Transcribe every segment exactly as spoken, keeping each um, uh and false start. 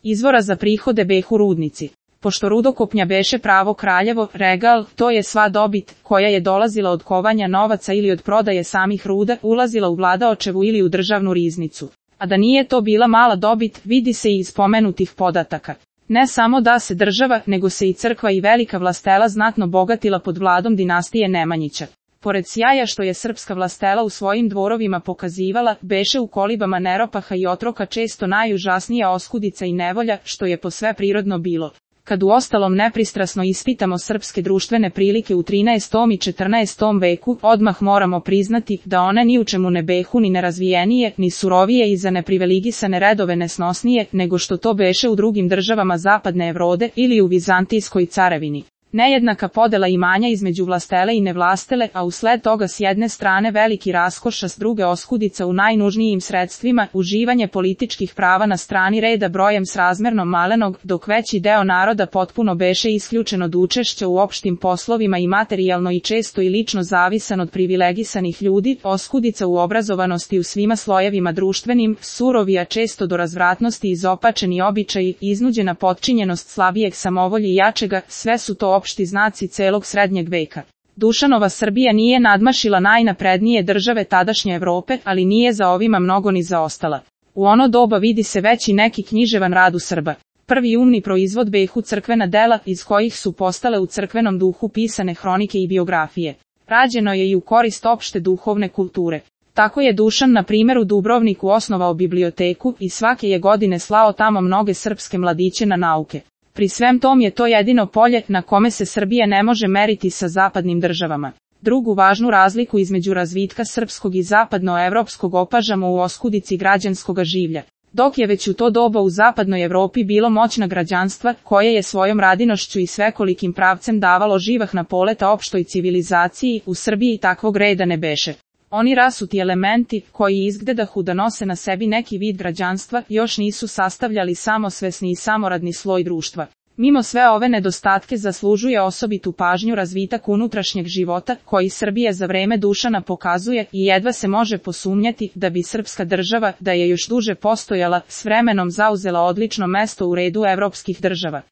Izvora za prihode behu rudnici. Pošto rudokopnja beše pravo kraljevo, regal, to je sva dobit, koja je dolazila od kovanja novaca ili od prodaje samih ruda, ulazila u vladaočevu ili u državnu riznicu. A da nije to bila mala dobit, vidi se i iz spomenutih podataka. Ne samo da se država, nego se i crkva i velika vlastela znatno bogatila pod vladom dinastije Nemanjića. Pored sjaja što je srpska vlastela u svojim dvorovima pokazivala, beše u kolibama neropaha i otroka često najužasnija oskudica i nevolja, što je posve prirodno bilo. Kad u ostalom nepristrasno ispitamo srpske društvene prilike u trinaestom i četrnaestom veku, odmah moramo priznati da one ni u čemu ne behu ni nerazvijenije, ni surovije i za neprivilegisane redove nesnosnije, nego što to beše u drugim državama zapadne Evrode ili u Vizantijskoj carevini. Nejednaka podela imanja između vlastele i nevlastele, a usled toga s jedne strane veliki raskoš, a s druge oskudica u najnužnijim sredstvima, uživanje političkih prava na strani reda brojem srazmerno malenog, dok veći deo naroda potpuno beše isključen od učešća u opštim poslovima i materijalno i često i lično zavisan od privilegisanih ljudi, oskudica u obrazovanosti u svima slojevima društvenim, surovi, a često do razvratnosti izopačeni običaji, iznuđena potčinjenost slabijeg samovolji i jačega, sve su to opšti znaci celog srednjeg veka. Dušanova Srbija nije nadmašila najnaprednije države tadašnje Evrope, ali nije za ovima mnogo ni zaostala. U ono doba vidi se već i neki književan rad u Srba. Prvi umni proizvod behu crkvena dela, iz kojih su postale u crkvenom duhu pisane hronike i biografije. Rađeno je i u korist opšte duhovne kulture. Tako je Dušan na primjer u Dubrovniku osnovao biblioteku i svake je godine slao tamo mnoge srpske mladiće na nauke. Pri svem tom je to jedino polje na kome se Srbija ne može meriti sa zapadnim državama. Drugu važnu razliku između razvitka srpskog i zapadnoevropskog opažamo u oskudici građanskoga življa. Dok je već u to doba u zapadnoj Evropi bilo moćna građanstva, koje je svojom radinošću i svekolikim pravcem davalo živahna poleta opštoj civilizaciji, u Srbiji takvog reda ne beše. Oni rasuti elementi, koji izgledahu da nose na sebi neki vid građanstva, još nisu sastavljali samosvesni i samoradni sloj društva. Mimo sve ove nedostatke zaslužuje osobitu pažnju razvitak unutrašnjeg života, koji Srbija za vreme Dušana pokazuje i jedva se može posumnjati da bi srpska država, da je još duže postojala, s vremenom zauzela odlično mesto u redu evropskih država.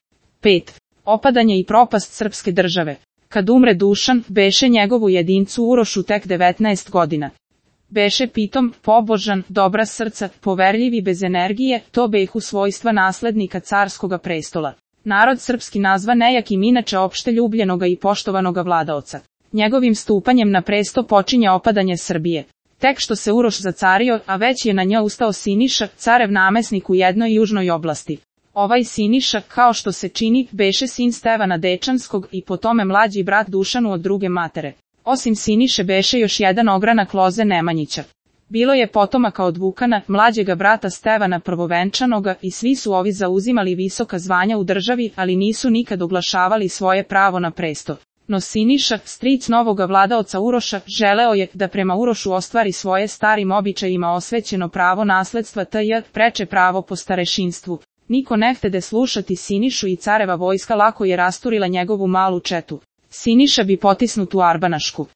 pet. Opadanje i propast srpske države. Kad umre Dušan, beše njegovu jedincu Urošu tek devetnaest godina. Beše pitom, pobožan, dobra srca, poverljiv i bez energije, to behu svojstva naslednika carskoga prestola. Narod srpski nazva nejakim inače opšte ljubljenoga i poštovanoga vladaoca. Njegovim stupanjem na presto počinje opadanje Srbije. Tek što se Uroš zacario, a već je na njoj ustao Siniša, carev namesnik u jednoj južnoj oblasti. Ovaj Siniša, kao što se čini, beše sin Stevana Dečanskog i po tome mlađi brat Dušanu od druge matere. Osim Siniše beše još jedan ogranak loze Nemanjića. Bilo je potomaka od Vukana, mlađega brata Stevana Prvovenčanoga, i svi su ovi zauzimali visoka zvanja u državi, ali nisu nikad oglašavali svoje pravo na presto. No Siniša, stric novoga vladaoca Uroša, želeo je da prema Urošu ostvari svoje starim običajima osvećeno pravo nasledstva tj. preče pravo po starešinstvu. Niko ne htede slušati Sinišu i careva vojska lako je rasturila njegovu malu četu. Siniša bi potisnut u Arbanašku.